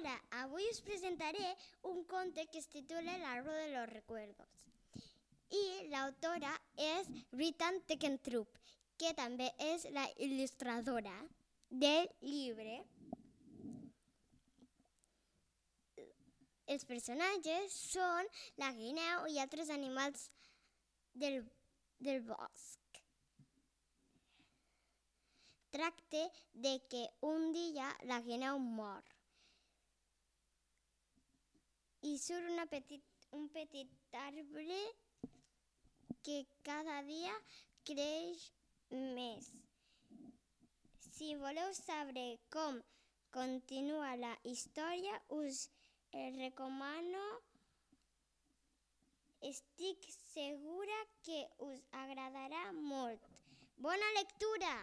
Hola, avui us presentaré un conte que es titula El árbol de los recuerdos. I l'autora és Rita Teckentrup, que també és la il·lustradora del llibre. Els personatges són la guineu i altres animals del bosc. Tracta de que un dia la guineu mor i surt un petit arbre que cada dia creix més. Si voleu saber com continua la història, us recomano. Estic segura que us agradarà molt. Bona lectura!